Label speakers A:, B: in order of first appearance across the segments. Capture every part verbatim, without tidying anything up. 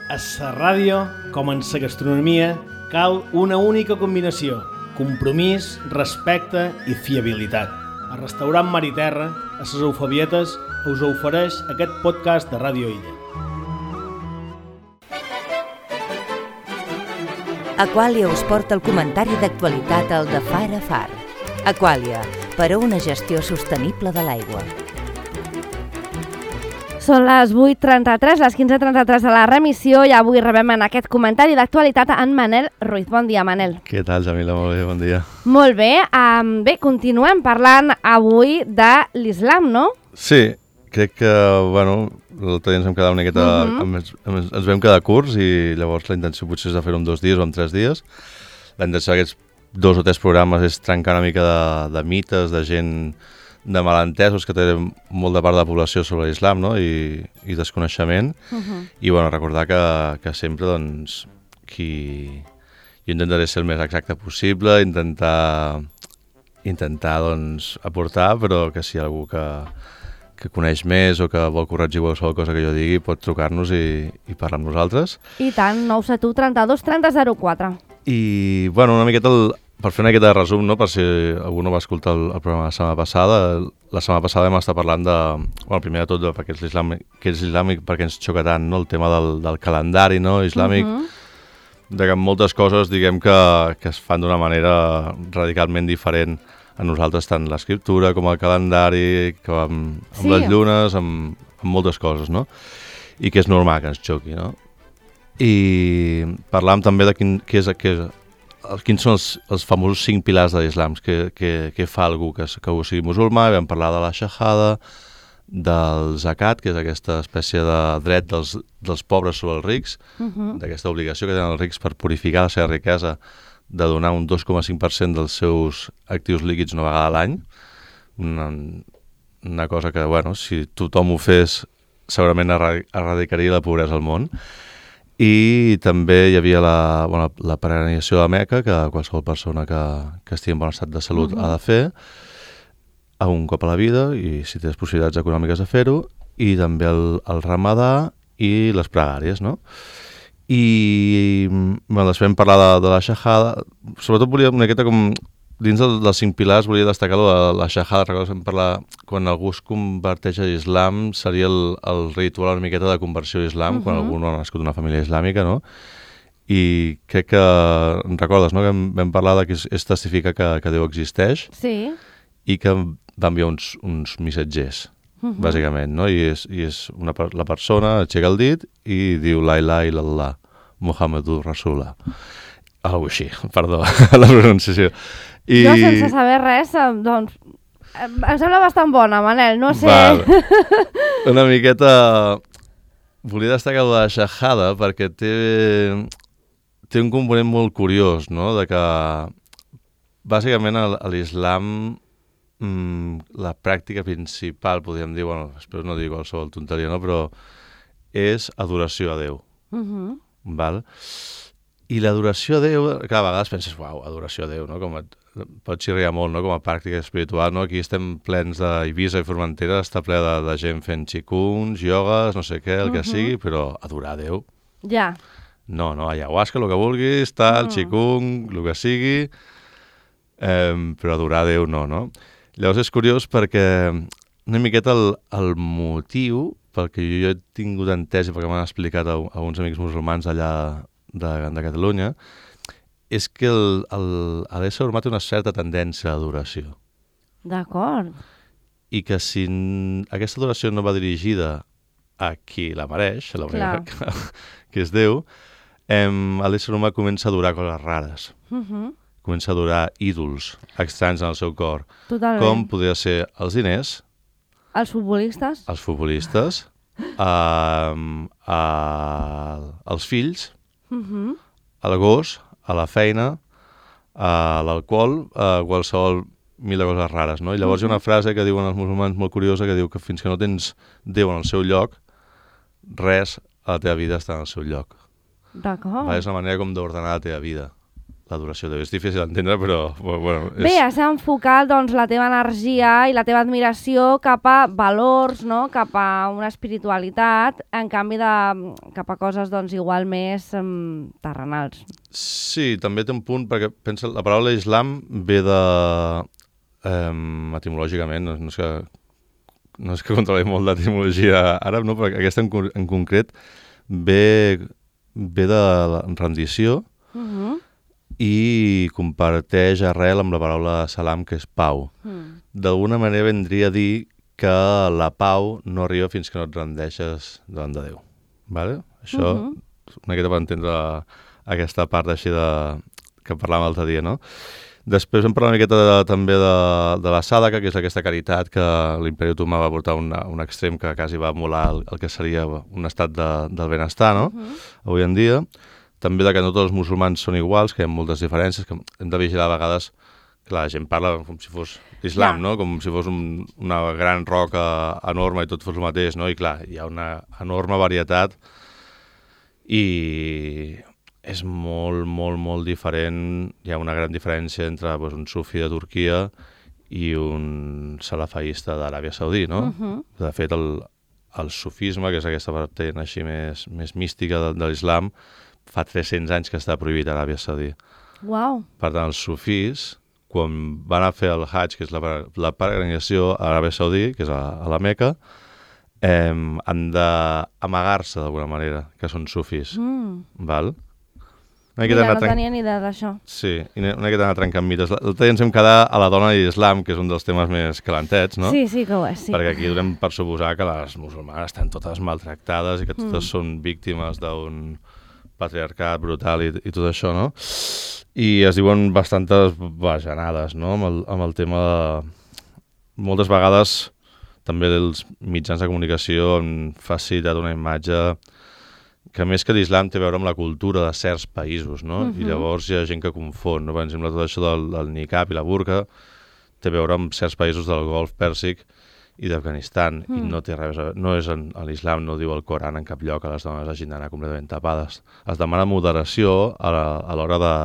A: A la ràdio, com en la gastronomia, cal una única combinació: compromís, respecte i fiabilitat. El restaurant Mar i Terra, a les Eufabietes, us ofereix aquest podcast de Ràdio Illa.
B: Aquàlia us porta el comentari d'actualitat al de Far a Far. Aquàlia, per a una gestió sostenible de l'aigua.
C: Són les vuit trenta-tres, les quinze trenta-tres de la remissió i avui rebem en aquest comentari d'actualitat en Manel Ruiz. Bon dia, Manel.
D: Què tal, Jamila? Molt bé, bon dia.
C: Molt bé. Um, bé, continuem parlant avui de l'islam, no?
D: Sí, crec que, bueno, l'altre dia ens vam quedar una miqueta... Uh -huh. ens, ens, ens vam quedar curts i llavors la intenció potser és de fer-ho en dos dies o en tres dies. La intenció d'aquests dos o tres programes és trencar una mica de, de mites, de gent... de malentesos que té molt de part de la població sobre l'islam, no? I, i desconeixement. Uh -huh. I bueno, recordar que, que sempre, doncs, qui... jo intentaré ser el més exacte possible, intentar, intentar doncs, aportar, però que si hi ha algú que, que coneix més o que vol corregir qualsevol cosa que jo digui, pot trucar-nos i, i parlar amb nosaltres.
C: I tant, nou set u trenta-dos trenta zero quatre.
D: I, bueno, una miqueta el... Per fer una miqueta de resum, no? Per si algú no va escoltar el, el programa la setmana passada, la setmana passada vam estar parlant de, bueno, primer de tot, de, perquè és l'islàmic, que és islàmic perquè ens xoca tant, no? El tema del, del calendari, no? Islàmic, uh -huh. de que moltes coses, diguem que, que es fan d'una manera radicalment diferent a nosaltres, tant l'escriptura com el calendari, com amb, amb sí. les llunes, amb, amb moltes coses, no? I que és normal que ens xoqui, no? I parlàvem també de quin, què és, què és quins són els, els famosos cinc pilars de l'islam, que, que, que fa algú que, que ho sigui musulmà. Vam parlar de la shahada, del zakat, que és aquesta espècie de dret dels, dels pobres sobre els rics, uh -huh. d'aquesta obligació que tenen els rics per purificar la seva riquesa, de donar un dos coma cinc per cent dels seus actius líquids una vegada a l'any. Una, una cosa que, bueno, si tothom ho fes, segurament erradicaria la pobresa al món. I també hi havia la, bueno, la peregrinació a Meca, que qualsevol persona que, que estigui en bon estat de salut uh -huh. ha de fer a un cop a la vida, i si tens possibilitats econòmiques de fer-ho, i també el, el ramadà i les pregàries, no? I bueno, després vam parlar de, de la shahada. Sobretot volia una miqueta com... Dins del, dels cinc pilars volia destacar la, la shahada. Recordo que parlar, quan algú es converteix a l'islam, seria el, el ritual una miqueta de conversió a l'islam, uh -huh. quan algú no ha nascut d'una família islàmica, no? I crec que recordes, no?, que vam parlar de que és, és testificar que, que Déu existeix,
C: sí.
D: i que va enviar uns, uns missatgers, uh -huh. bàsicament, no? I és, i és una, la persona aixeca el dit i diu la ilaha illallah, Muhammadur Rasulullah. Algo així, perdó, la pronunciació. I...
C: Jo, sense saber res, doncs, em sembla bastant bona, Manel, no sé...
D: Val. Una miqueta... Volia destacar la shahada perquè té, té un component molt curiós, no?, de que, bàsicament, a l'islam, mmm, la pràctica principal, podríem dir, bueno, espero no dir qualsevol tonteria, no?, però és adoració a Déu. Uh -huh. Val? I l'adoració a Déu, cada vegada penses, uau, adoració a Déu, no? Com a, pot xirriar molt, no?, com a pràctica espiritual, no? Aquí estem plens d'Eivissa i Formentera, està ple de, de gent fent xicuns, iogues, no sé què, el que uh -huh. sigui, però adorar a Déu...
C: Ja.
D: No, no, ayahuasca, el que vulguis, tal, uh -huh. xicung, el que sigui, eh, però adorar a Déu no, no? Llavors és curiós perquè una miqueta el, el motiu pel que jo he tingut entès i perquè m'han explicat a, a uns amics musulmans allà de, de Catalunya, és que l'ésser humà té una certa tendència a l'adoració.
C: D'acord.
D: I que si aquesta adoració no va dirigida a qui la mereix, a la manera que, que és Déu, eh, l'ésser humà comença a adorar coses rares. Uh -huh. Comença a adorar ídols estranys en el seu cor.
C: Totalment.
D: Com podria ser els diners,
C: els futbolistes,
D: els futbolistes, eh, eh, els fills, uh -huh. el gos, a la feina, a l'alcohol, a qualsevol mil de coses rares, no? I llavors uh -huh. hi ha una frase que diuen els musulmans molt curiosa, que diu que fins que no tens Déu en el seu lloc, res a la teva vida està en el seu lloc.
C: D'acord.
D: Va, és una manera com d'ordenar la teva vida. la duració. És difícil d'entendre, però... Bueno, és...
C: Bé, has enfocat doncs, la teva energia i la teva admiració cap a valors, no? Cap a una espiritualitat, en canvi de, cap a coses doncs, igual més um, terrenals.
D: Sí, també té un punt, perquè pensa, la paraula islam ve de... Um, etimològicament, no, no és que no és que controli molt d'etimologia àrab, no? Però aquesta en, en concret ve, ve de la rendició uh-huh. i comparteix arrel amb la paraula salam, que és pau. Uh-huh. D'alguna manera vendria a dir que la pau no arriba fins que no et rendeixes davant de Déu. Vale? Això, uh-huh. una miqueta per entendre aquesta part així de... que parlàvem l'altre dia, no? Després vam parlar una miqueta de, també de, de la sàdaca, que és aquesta caritat que l'imperi otomà va portar a un, un extrem que quasi va emular el, el que seria un estat de, del benestar, no? Uh-huh. Avui en dia. També de que no tots els musulmans són iguals, que hi ha moltes diferències, que hem de vigilar a vegades. Clar, la gent parla com si fos l'islam, yeah. no? Com si fos un, una gran roca enorme i tot fos el mateix, no? I clar, hi ha una enorme varietat i... és molt, molt, molt diferent. Hi ha una gran diferència entre doncs, un sufi de Turquia i un salafaista d'Aràbia Saudí, no? Uh-huh. De fet, el, el sufisme, que és aquesta vertent així més, més mística de, de l'islam, fa tres-cents anys que està prohibit a Aràbia Saudí.
C: Wow.
D: Per tant, els sufís, quan van a fer el Hajj, que és la, la peregrinació a Aràbia Saudí, que és a, a la Meca, eh, han d'amagar-se d'alguna manera, que són sufís. Mm. Val?
C: Mira, no trenc... tenia ni idea d'això.
D: Sí, i una miqueta d'anar trencant mites. L'altre dia ens hem quedat a la dona i l'islam, que és un dels temes més calentets, no?
C: Sí, sí que ho és, sí.
D: Perquè aquí donem per suposar que les musulmanes estan totes maltractades i que totes mm. són víctimes d'un patriarcat brutal i, i tot això, no? I es diuen bastantes bajanades, no? Amb el, amb el tema de... Moltes vegades també els mitjans de comunicació han facilitat una imatge que més que l'islam té a veure amb la cultura de certs països, no? Uh-huh. I llavors hi ha gent que confon, no? Per exemple, tot això del, del niqab i la burka té a veure amb certs països del Golf Pèrsic i d'Afganistan, uh-huh. i no té res a veure, no és en, a l'islam, no diu el Coran en cap lloc que les dones hagin d'anar completament tapades. Es demana moderació a, la, a l'hora de,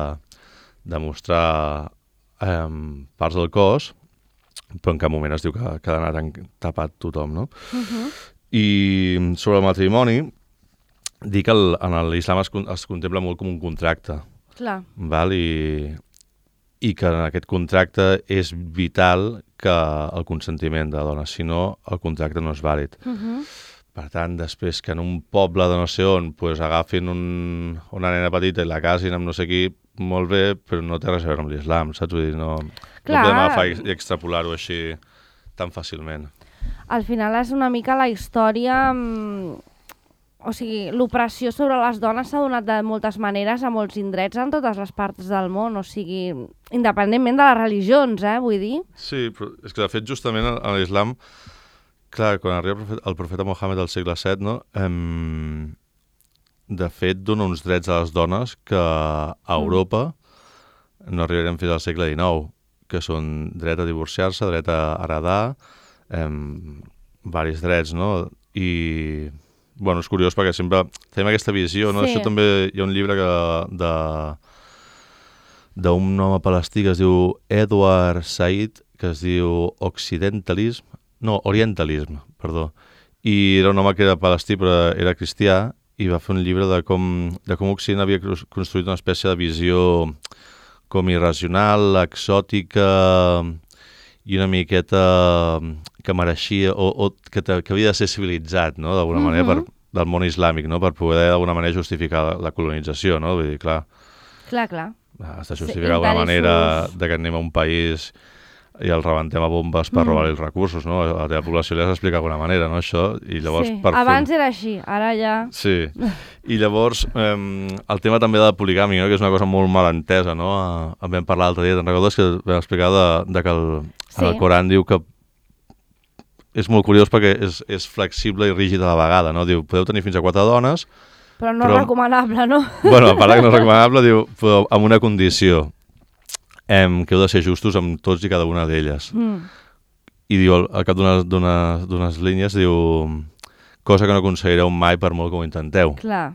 D: de mostrar eh, parts del cos, però en cap moment es diu que, que ha d'anar tapat tothom, no? Uh-huh. I sobre el matrimoni, dir que el, en l'islam es, es contempla molt com un contracte.
C: Clar.
D: Val? I, I que en aquest contracte és vital que el consentiment de la dona, si no, el contracte no és vàlid. Uh-huh. Per tant, després que en un poble de no sé on pues, agafin un, una nena petita i la casin amb no sé qui, molt bé, però no té res a veure amb l'islam, saps? Vull dir, no, no podem agafar i extrapolar-ho així tan fàcilment.
C: Al final és una mica la història... O sigui, l'opressió sobre les dones s'ha donat de moltes maneres a molts indrets en totes les parts del món, o sigui, independentment de les religions, eh, vull dir.
D: Sí, però és que de fet justament a l'islam, clar, quan arriba el profeta, el profeta Mohammed al segle set, no, em, de fet dona uns drets a les dones que a Europa mm. no arribarem fins al segle dinou, que són dret a divorciar-se, dret a heredar, em, varis drets, no? I... Bueno, és curiós perquè sempre tenim aquesta visió, no? Sí. Això també hi ha un llibre que de d'un home palestí que es diu Edward Said, que es diu Occidentalism, no, Orientalism, perdó. I era un home que era palestí però era cristià i va fer un llibre de com, de com Occident havia construït una espècie de visió com irracional, exòtica i una miqueta que mereixia o, o que, te, que havia de ser civilitzat, no? D'alguna uh-huh. manera per, del món islàmic, no? Per poder d'alguna manera justificar la, la colonització, no? Vull dir, clar.
C: Clar, clar.
D: Has de justificar d'alguna sí, manera de que anem a un país i el rebentem a bombes per mm. robar els recursos, no? A la teva població li has d'explicar d'alguna manera, no? Això, i llavors...
C: Sí,
D: per
C: abans
D: fer...
C: era així, ara ja...
D: Sí, i llavors eh, el tema també de la poligàmia, no? Que és una cosa molt mal entesa, no? En vam parlar l'altre dia, te'n recordes que vam explicar de, de que el, sí. el Coran diu que és molt curiós perquè és, és flexible i rígid a la vegada, no? Diu, podeu tenir fins a quatre dones...
C: Però no però... recomanable, no?
D: Bueno, a part que no és recomanable, diu, però amb una condició, em, que heu de ser justos amb tots i cada una d'elles. Mm. I diu, al cap d'unes línies, diu, cosa que no aconseguireu mai per molt que ho intenteu.
C: Clar.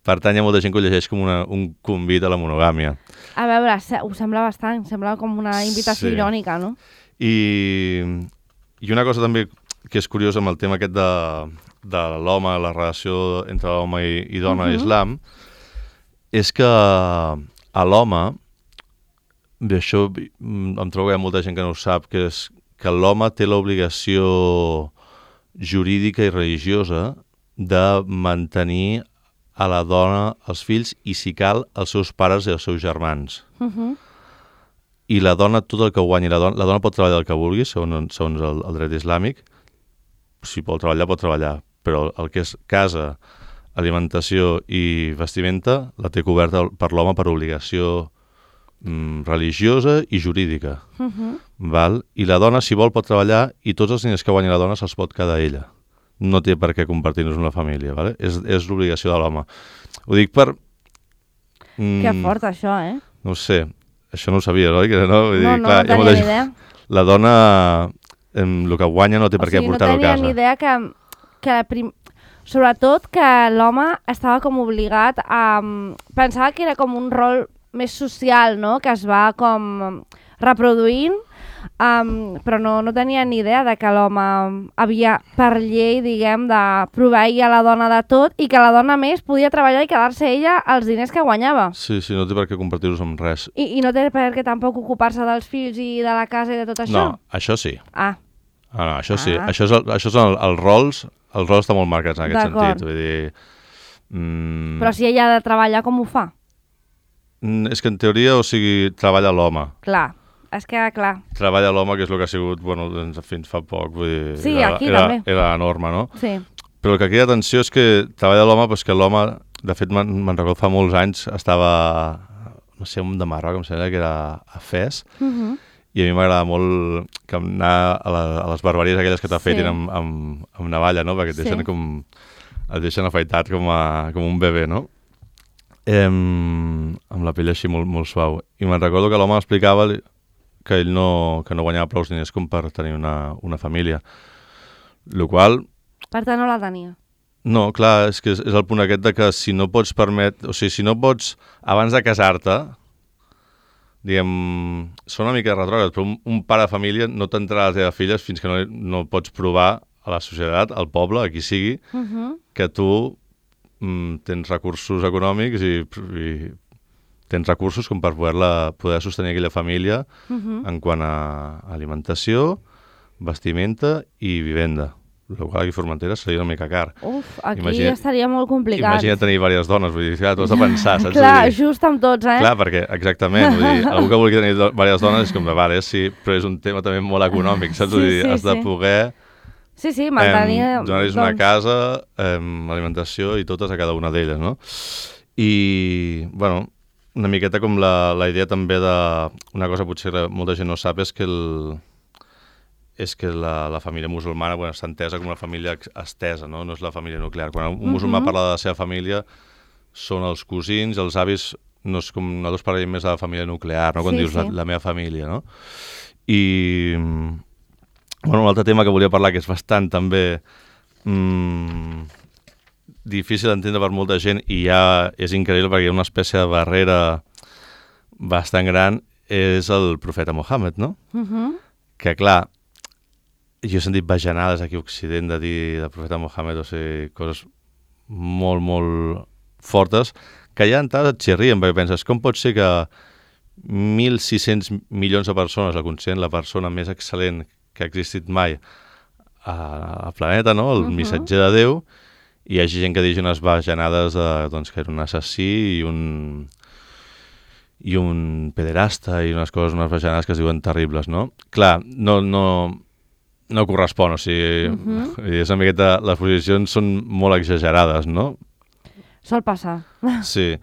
D: Per tant, hi ha molta gent que ho llegeix com una, un convit a la monogàmia.
C: A veure, ho sembla bastant, sembla com una invitació
D: Sí.
C: irònica, no?
D: I, I una cosa també que és curiosa amb el tema aquest de, de l'home, la relació entre l'home i, i dona
C: Mhm.
D: a l'islam, és que a l'home, bé, això em trobo que hi ha molta gent que no ho sap, que és que l'home té l'obligació jurídica i religiosa de mantenir a la dona, els fills i, si cal, els seus pares i els seus germans.
C: Uh -huh.
D: I la dona, tot el que guanyi, la dona, la dona pot treballar el que vulgui, segons, segons el, el dret islàmic. Si vol treballar, pot treballar. Però el que és casa, alimentació i vestimenta la té coberta per l'home per obligació mm, religiosa i jurídica.
C: Uh -huh.
D: Val? I la dona, si vol, pot treballar i tots els diners que guanyi la dona se'ls pot quedar ella. No té per què compartir-nos una família. Vale? És, és l'obligació de l'home. Ho dic per...
C: Mm, que fort, això, eh?
D: No ho sé. Això no ho sabia, oi? Que no, Vull dir,
C: no, no,
D: clar,
C: no tenia
D: molta
C: ni
D: gent...
C: idea.
D: La dona, em, el que guanya no té
C: O
D: per què
C: sigui,
D: portar-ho a casa.
C: no tenia ni idea que, que la prim... sobretot que l'home estava com obligat a... Pensava que era com un rol més social, no? Que es va com reproduint, um, però no, no tenia ni idea de que l'home havia, per llei, diguem, de proveir a la dona de tot i que la dona més podia treballar i quedar-se ella els diners que guanyava.
D: Sí, sí, no té per què compartir-los amb res.
C: I, I no té per què tampoc ocupar-se dels fills i de la casa i de tot això?
D: No, això sí.
C: Ah.
D: Ah, no, això sí.
C: Ah.
D: Això, és el, això són els rols, els rols estan molt marcats en aquest
C: D'acord.
D: sentit. Vull dir... Mm,
C: Però si ella ha de treballar, com ho fa?
D: mm, és que en teoria, o sigui, treballa l'home.
C: Clar, és que clar.
D: Treballa l'home, que és el que ha sigut, bueno, doncs, fins fa poc. Vull dir,
C: Sí,
D: era,
C: aquí
D: era,
C: també.
D: Era la norma, no?
C: Sí.
D: Però el que crida atenció és que treballa l'home, doncs que l'home, de fet, me'n me'n recordo fa molts anys, estava, no sé, un de Marroc, em sembla que era a Fes,
C: Uh -huh.
D: i a mi m'agrada molt que anar a, la, a les barberies aquelles que t'afeitin
C: Sí.
D: amb, amb, amb navalla, no? Perquè et deixen
C: Sí.
D: com... et deixen afaitat com, a, com un bebè, no? Em, amb la pell així molt, molt suau. I me'n recordo que l'home explicava que ell no, que no guanyava prou diners com per tenir una, una família. Lo qual...
C: Per tant, no la tenia.
D: No, clar, és que és, és el punt aquest de que si no pots permet... O sigui, si no pots, abans de casar-te, diguem, són una mica retrògrad, però un, un pare de família no t'entrarà a les teves filles fins que no, no pots provar a la societat, al poble, a qui sigui,
C: Uh -huh.
D: que tu mm, tens recursos econòmics i, i tens recursos com per poder-la poder sostenir aquella família
C: Uh -huh.
D: en quant a alimentació, vestimenta i vivenda. El qual aquí a Formentera seria una mica car.
C: Uf, aquí
D: Imagina-
C: estaria molt complicat.
D: Imagina tenir diverses dones, vull dir, clar, tu has de pensar, saps?
C: Clar,
D: Vull dir,
C: just amb tots, eh?
D: clar, perquè, exactament, vull dir, algú que vulgui tenir do- diverses dones és com, vale, sí, però és un tema també molt econòmic, saps?
C: Sí,
D: Vull dir,
C: sí,
D: has de
C: sí.
D: poder
C: Sí, sí, mantenir...
D: em, donar-los una
C: doncs,
D: casa, em, alimentació i totes a cada una d'elles, no? I, bueno, una miqueta com la, la idea també de... Una cosa potser que molta gent no sap és que el, és que la, la família musulmana, bueno, està entesa com una família ex- estesa, no? No és la família nuclear. Quan un musulmà
C: Mhm.
D: parla de la seva família, són els cosins, els avis, no és com nosaltres parlem més de la família nuclear, no? Quan
C: Sí,
D: dius
C: sí.
D: la, la meva família, no? I, bueno, un altre tema que volia parlar, que és bastant també mm, difícil d'entendre per molta gent i ja és increïble perquè hi ha una espècie de barrera bastant gran, és el profeta Mohammed, no?
C: Uh -huh.
D: Que, clar, jo he sentit bajanades aquí a Occident de dir del profeta Mohammed, o sigui, coses molt, molt fortes, que ja d'entrada et xirrien, perquè penses, com pot ser que mil sis-cents milions de persones el consideren la persona més excel·lent que ha existit mai a- al planeta, no? El
C: Mhm.
D: missatger de Déu, i hi hagi gent que digui unes bajanades de, doncs, que era un assassí i un i un pederasta i unes coses, unes bajanades que es diuen terribles, no? Clar, no, no, no correspon, o sigui,
C: Mhm.
D: és una miqueta, les posicions són molt exagerades, no?
C: Sol passar.
D: Sí,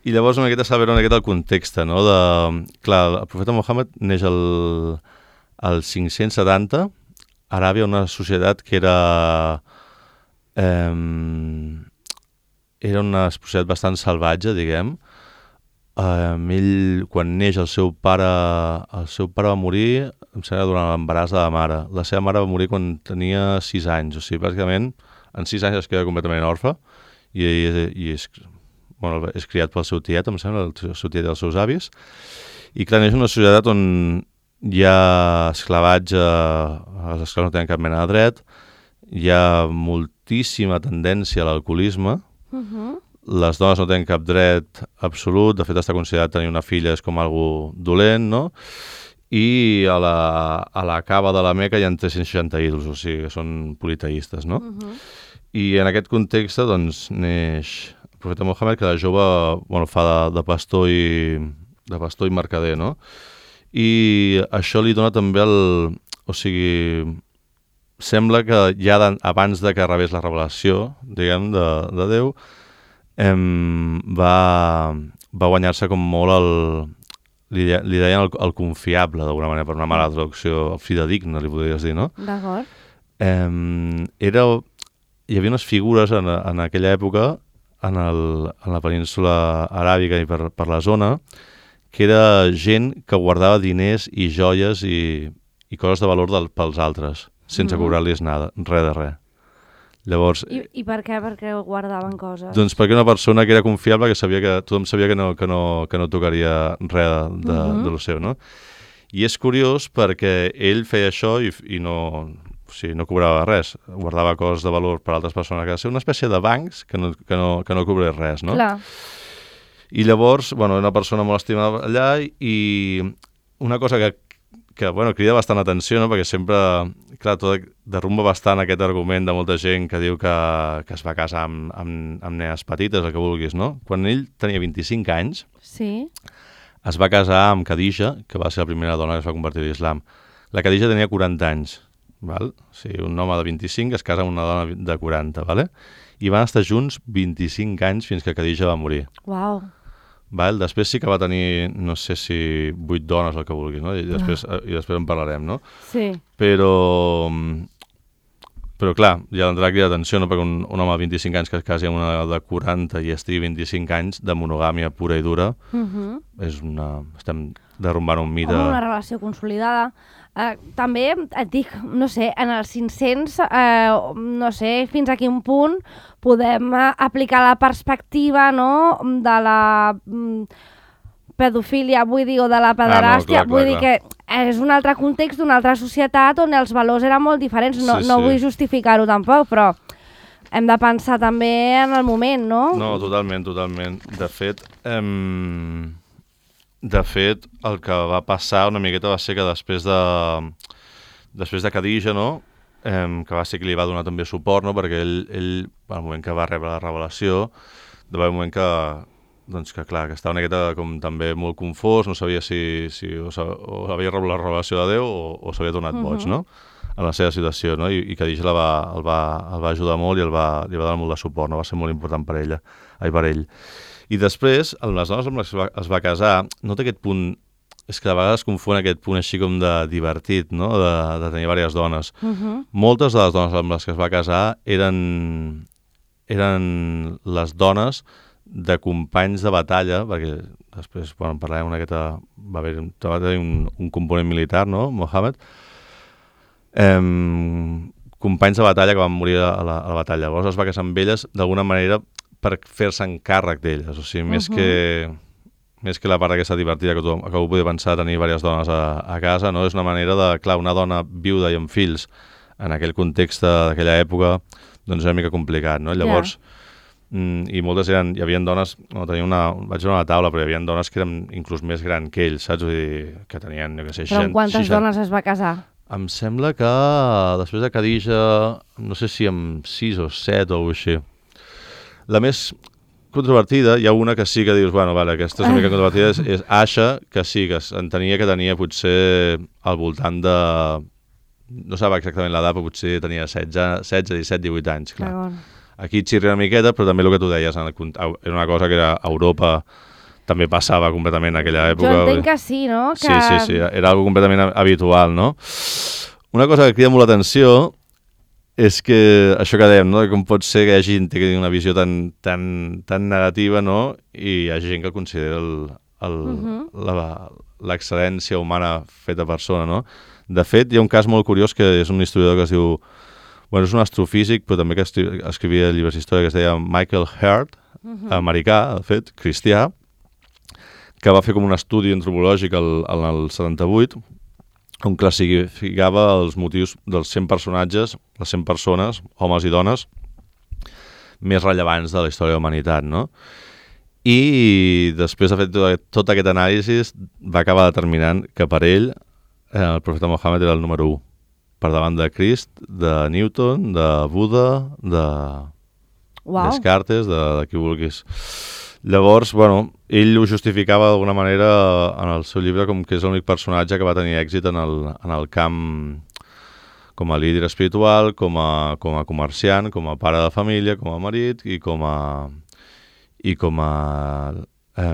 D: i llavors una miqueta saber una miqueta el context, no? De, clar, el profeta Mohammed neix al, al cinc-cents setanta, a Aràbia, una societat que era... Eh, era una societat bastant salvatge, diguem. Eh, ell, quan neix, el seu pare el seu pare va morir, em sembla, durant l'embaràs de la mare. La seva mare va morir quan tenia sis anys, o sigui, bàsicament, en sis anys es queda completament orfe, i, i, i és bueno, és criat pel seu tiet, em sembla, el seu tiet i els seus avis, i clar, és una societat on hi ha esclavatge, els esclaus no tenen cap mena de dret, hi ha moltíssima tendència a l'alcoholisme,
C: Uh-huh.
D: les dones no tenen cap dret absolut, de fet està considerat tenir una filla és com algo dolent, no? I a la, a la cava de la Meca hi ha tres-cents seixanta ídols, o sigui, que són politeistes, no?
C: Uh-huh.
D: I en aquest context, doncs, neix el profeta Mohammed, que de jove, bueno, fa de, de pastor i de pastor i mercader, no? I això li dona també el... O sigui, sembla que ja de, abans de que rebés la revelació, diguem, de, de Déu, em, va, va guanyar-se com molt el... Li, li deien el, el confiable, d'alguna manera, per una mala traducció, el fidedigne, li podries dir, no?
C: D'acord.
D: Em, era... Hi havia unes figures en, en aquella època, en, el, en la península aràbica i per, per la zona, que era gent que guardava diners i joies i, i coses de valor del, pels altres, sense
C: Mhm.
D: cobrar-los nada, res de res. Llavors,
C: I, I per què? Perquè guardaven coses?
D: doncs perquè una persona que era confiable, que sabia que tothom sabia que no, que no, que no tocaria res de, de,
C: Mhm.
D: de lo seu, no? I és curiós perquè ell feia això i, i no, o sigui, no cobrava res, guardava coses de valor per altres persones a casa, una espècie de bancs que no, que no, que no cobrés res, no?
C: Clar.
D: I llavors, bueno, una persona molt estimada allà i una cosa que, que bueno, crida bastant atenció, no? Perquè sempre, clar, tot derrumba bastant aquest argument de molta gent que diu que, que es va casar amb, amb, amb nenes petites, el que vulguis, no? Quan ell tenia vint-i-cinc anys,
C: Sí.
D: es va casar amb Khadija, que va ser la primera dona que es va convertir a l'islam. La Khadija tenia quaranta anys, val? O sigui, un home de vint-i-cinc es casa amb una dona de quaranta, vale? I van estar junts vint-i-cinc anys fins que Khadija va morir.
C: Uau.
D: Val? Després sí que va tenir, no sé si vuit dones o el que vulgui, no? I després, i després en parlarem, no?
C: Sí.
D: Però, però clar, ja d'entrar aquí d'atenció, no? Perquè un, un home de vint-i-cinc anys que es casi amb una de quaranta i estigui vint-i-cinc anys de monogàmia pura i dura,
C: Uh-huh.
D: és una... estem derrumbant un mite...
C: Home, una relació consolidada. Uh, també et dic, no sé, en els cinc-cents, uh, no sé fins a quin punt podem uh, aplicar la perspectiva, no?, de la mm, pedofília, vull dir, o de la pederàstia,
D: clar, clar,
C: vull dir
D: clar.
C: que és un altre context d'una altra societat on els valors eren molt diferents. No,
D: Sí,
C: no
D: sí.
C: vull justificar-ho tampoc, però hem de pensar també en el moment, no?
D: No, totalment, totalment. De fet, em... de fet, el que va passar una miqueta va ser que després de després de Khadija, no?, em, que va ser qui li va donar també suport, no?, perquè ell, ell al moment que va rebre la revelació, de va haver un moment que, doncs que clar, que estava una miqueta com també molt confós, no sabia si, si o, sa- o havia rebut la revelació de Déu o, o s'havia donat
C: Mhm.
D: boig, no?, en la seva situació, no?, i, i Khadija la va, el, va, el va ajudar molt i el va, li va donar molt de suport, no?, va ser molt important per ella, ai, per ell. I després, amb les dones amb les que es va, es va casar, no té aquest punt, és que a vegades es confon aquest punt així com de divertit, no?, de, de tenir diverses dones.
C: Uh-huh.
D: Moltes de les dones amb les que es va casar eren, eren les dones de companys de batalla, perquè després, bueno, en parlarem una miqueta, va haver va tenir un, un component militar, no?, Mohammed, em, companys de batalla que van morir a la, a la batalla. Llavors es va casar amb elles d'alguna manera per fer-se'n càrrec d'elles, o sigui, més,
C: Mhm.
D: que, més que la part aquesta divertida que, tothom, que algú podia pensar tenir diverses dones a, a casa, no? És una manera de, clar, una dona viuda i amb fills en aquell context d'aquella època, doncs era una mica complicat, no? Llavors, mm, i moltes eren, hi havia dones, no, tenia una, vaig veure una taula, però hi havia dones que eren inclús més gran que ells, saps? Vull dir, que tenien, jo què sé,
C: Però amb quantes
D: seixanta
C: dones es va casar?
D: Em sembla que després de Khadija, no sé si amb sis o set o així. La més controvertida, hi ha una que sí que dius, bueno, vale, aquesta és una mica controvertida, és, és Asha, que sí, que entenia que tenia potser al voltant de... No sap exactament l'edat, però potser tenia setze, setze, disset, divuit anys, clar.
C: D'acord.
D: Aquí xirria una miqueta, però també el que tu deies, en el, cont- era una cosa que era a Europa, també passava completament en aquella època.
C: Jo entenc que sí, no? Que...
D: Sí, sí, sí, era algo completament habitual, no? Una cosa que crida molt l'atenció és que això que dèiem, no? Com pot ser que hi hagi gent que tingui una visió tan, tan, tan negativa, no? I hi ha gent que considera el, el,
C: Mhm.
D: la, l'excel·lència humana feta persona, no? De fet, hi ha un cas molt curiós que és un historiador que es diu... Bueno, és un astrofísic, però també que estri- escrivia llibres d'història, que es deia Michael Hurt,
C: Uh-huh.
D: americà, de fet, cristià, que va fer com un estudi antropològic el, en el setanta-vuit, on classificava els motius dels cent personatges, les cent persones, homes i dones, més rellevants de la història de la humanitat, no? I després de fer tot, tot aquest anàlisi va acabar determinant que per ell eh, el profeta Mohammed era el número u, per davant de Crist, de Newton, de Buda, de
C: Wow.
D: Descartes, de, de qui vulguis. Llavors, bueno, ell ho justificava d'alguna manera en el seu llibre com que és l'únic personatge que va tenir èxit en el, en el camp com a líder espiritual, com a, com a comerciant, com a pare de família, com a marit i com a, i com a eh,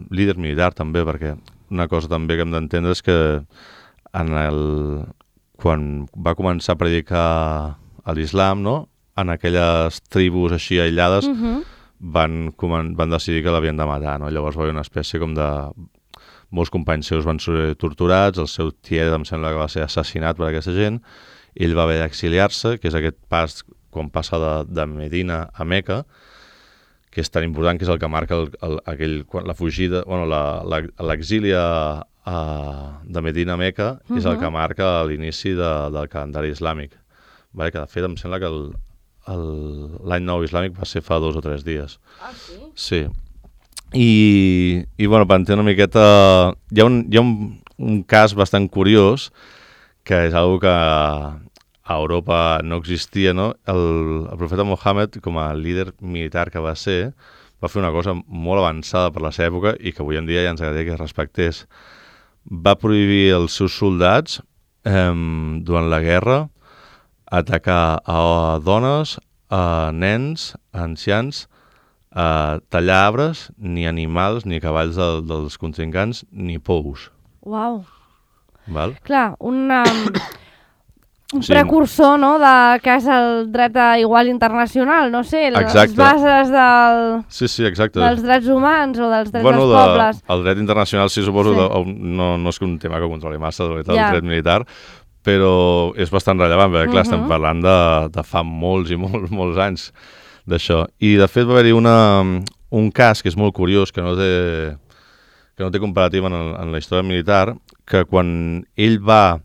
D: líder militar també, perquè una cosa també que hem d'entendre és que en el, quan va començar a predicar a l'islam, no?, en aquelles tribus així aïllades,
C: Uh-huh.
D: van, van decidir que l'havien de matar, no? Llavors va haver una espècie com de... Molts companys seus van ser torturats, el seu tiet em sembla que va ser assassinat per aquesta gent, ell va haver d'exiliar-se, que és aquest pas, quan passa de, de Medina a Meca, que és tan important, que és el que marca el, el, aquell, la fugida, bueno, l'exili de Medina a Meca, uh-huh. és el que marca l'inici de, del calendari islàmic. Vale? Que de fet em sembla que el l'any nou islàmic va ser fa dos o tres dies.
C: Ah, sí?
D: Sí. I, i bueno, per entendre una miqueta... Hi ha un, hi ha un, un cas bastant curiós, que és una que a Europa no existia, no? El, el profeta Mohammed, com a líder militar que va ser, va fer una cosa molt avançada per la seva època i que avui en dia ja ens agradaria que es respectés. Va prohibir als seus soldats, eh, durant la guerra, atacar a dones, a nens, a ancians, a tallar arbres, ni animals, ni cavalls de, dels contrincants, ni pous.
C: Uau.
D: Val?
C: Clar, un, um, un
D: Sí.
C: precursor, no?, de que és el dret a igual internacional, no sé, les
D: Exacte.
C: bases del,
D: Sí, sí, exacte.
C: dels drets humans o dels drets
D: bueno,
C: dels pobles.
D: de, el dret internacional, sí, suposo,
C: Sí.
D: sí. De, no, no és que un tema que controli massa, de veritat,
C: Ja.
D: el dret militar, però és bastant rellevant, perquè, clar,
C: Mhm.
D: estem parlant de, de fa molts i molts, molts anys d'això. I, de fet, va haver-hi una, un cas que és molt curiós, que no té, que no té comparativa en, el, en la història militar, que quan ell va,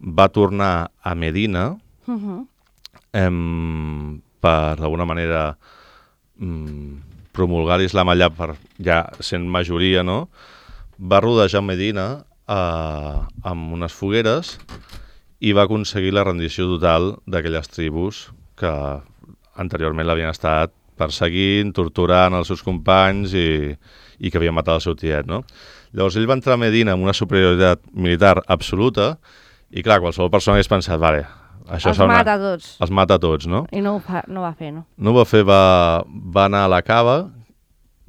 D: va tornar a Medina,
C: Uh-huh.
D: em, per, d'alguna manera, em, promulgar l'islam allà, per, ja sent majoria, no?, va rodejar Medina eh, amb unes fogueres i va aconseguir la rendició total d'aquelles tribus que anteriorment l'havien estat perseguint, torturant els seus companys i, i que havien matat el seu tiet, no? Llavors ell va entrar a Medina amb una superioritat militar absoluta i, clar, qualsevol persona hagués pensat, vale, això
C: Els mata a tots.
D: Els mata a tots, no?
C: I no ho, fa, no ho va fer, no?
D: No ho va fer, va, va anar a la cava,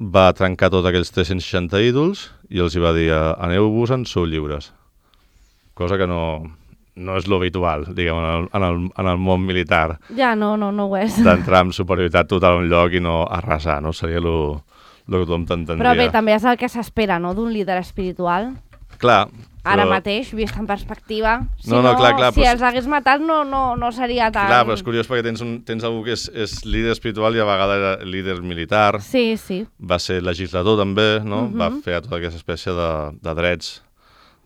D: va trencar tots aquells tres-cents seixanta ídols i els hi va dir, aneu-vos-en, sou lliures. Cosa que no, no és l'habitual, diguem, en el, en, el, en el món militar,
C: Ja, no, no, no ho és.
D: d'entrar amb superioritat total a un lloc i no arrasar, no? Seria el que tothom t'entendria.
C: Però bé, també és el que s'espera, no?, d'un líder espiritual.
D: Clar,
C: Ara
D: però-
C: mateix, vist en perspectiva. Si
D: No, no, clar, clar,
C: si
D: però-
C: els hagués matat no, no, no seria tan...
D: Clar, però és curiós perquè tens, un, tens algú que és, és líder espiritual i a vegades era líder militar,
C: Sí, sí.
D: va ser legislador també, no?
C: Mhm.
D: Va fer tota aquesta espècie de, de drets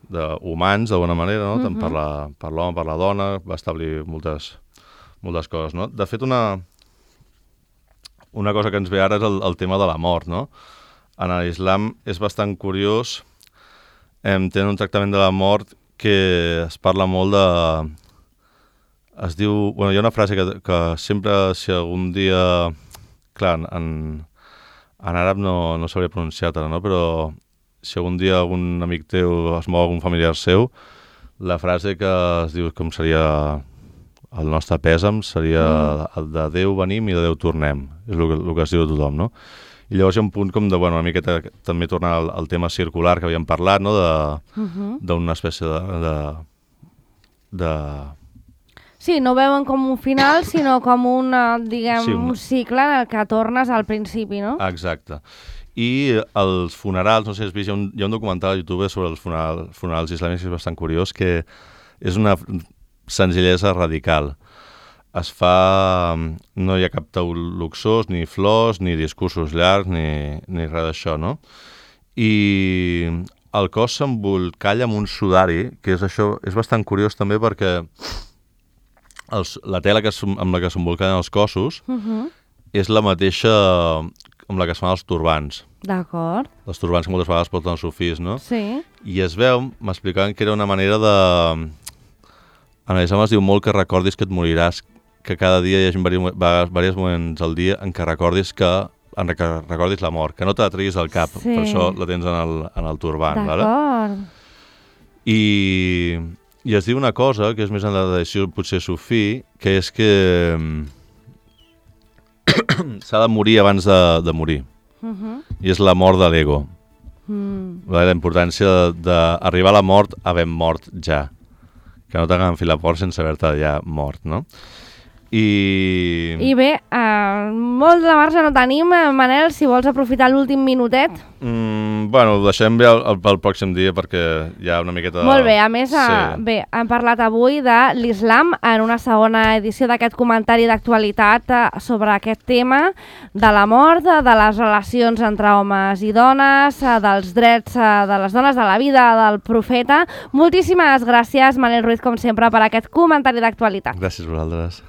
D: de, humans, d'alguna manera, no? Tant per
C: Mhm.
D: la- per l'home, per la dona, va establir moltes, moltes coses, no? De fet, una, una cosa que ens ve ara és el, el tema de la mort, no? En l'islam és bastant curiós, em, tenen un tractament de la mort que es parla molt de... Es diu... Bueno, hi ha una frase que, que sempre, si algun dia... Clar, en, en àrab no, no sabria pronunciar-te, no? Però si algun dia algun amic teu es mou algun familiar seu, la frase que es diu com seria el nostre pèsam seria mm. el de Déu venim i de Déu tornem. És el que, el que es diu a tothom, no? I llavors hi ha un punt com de, bueno, una miqueta també tornar al, al tema circular que havíem parlat, no? De,
C: Mhm.
D: d'una espècie de, de, de...
C: Sí, no veuen com un final, sinó com un, eh, diguem,
D: Sí, un-
C: un cicle en el que tornes al principi, no?
D: Exacte. I els funerals, no sé si has vist, hi ha un, hi ha un documental a YouTube sobre els funeral, funerals islàmics que és bastant curiós, que és una senzillesa radical. es fa... No hi ha cap taüt luxós, ni flors, ni discursos llargs, ni, ni res d'això, no? I el cos s'embolcalla amb un sudari, que és això, és bastant curiós també perquè els, la tela que, amb la que s'embolcallen els cossos
C: Uh-huh.
D: és la mateixa amb la que es fan els turbants.
C: D'acord.
D: Els turbants que moltes vegades porten els sufís, no?
C: Sí.
D: I es veu, m'explicaven que era una manera de... En els homes diu molt que recordis que et moriràs, que cada dia hi hagi diversos moments al dia en què recordis que en que recordis la mort, que no te la treguis al cap,
C: Sí.
D: per això la tens en el, en el turbant. Vale?
C: D'acord.
D: I, I es diu una cosa, que és més en la tradició potser sufí, que és que s'ha de morir abans de, de morir.
C: Uh-huh.
D: I és la mort de l'ego.
C: Mm.
D: La importància d'arribar a la mort havent mort ja. Que no t'agafi la por sense haver-te ja mort, no? I...
C: I bé, uh, molt de marge no tenim, Manel, si vols aprofitar l'últim minutet.
D: Mm, bueno, ho deixem bé el, pel pròxim dia perquè hi ha una miqueta...
C: Molt bé, a més,
D: Sí.
C: uh, bé, hem parlat avui de l'islam en una segona edició d'aquest comentari d'actualitat uh, sobre aquest tema de la mort, uh, de les relacions entre homes i dones, uh, dels drets uh, de les dones, de la vida del profeta. Moltíssimes gràcies, Manel Ruiz, com sempre, per aquest comentari d'actualitat.
D: Gràcies a vosaltres.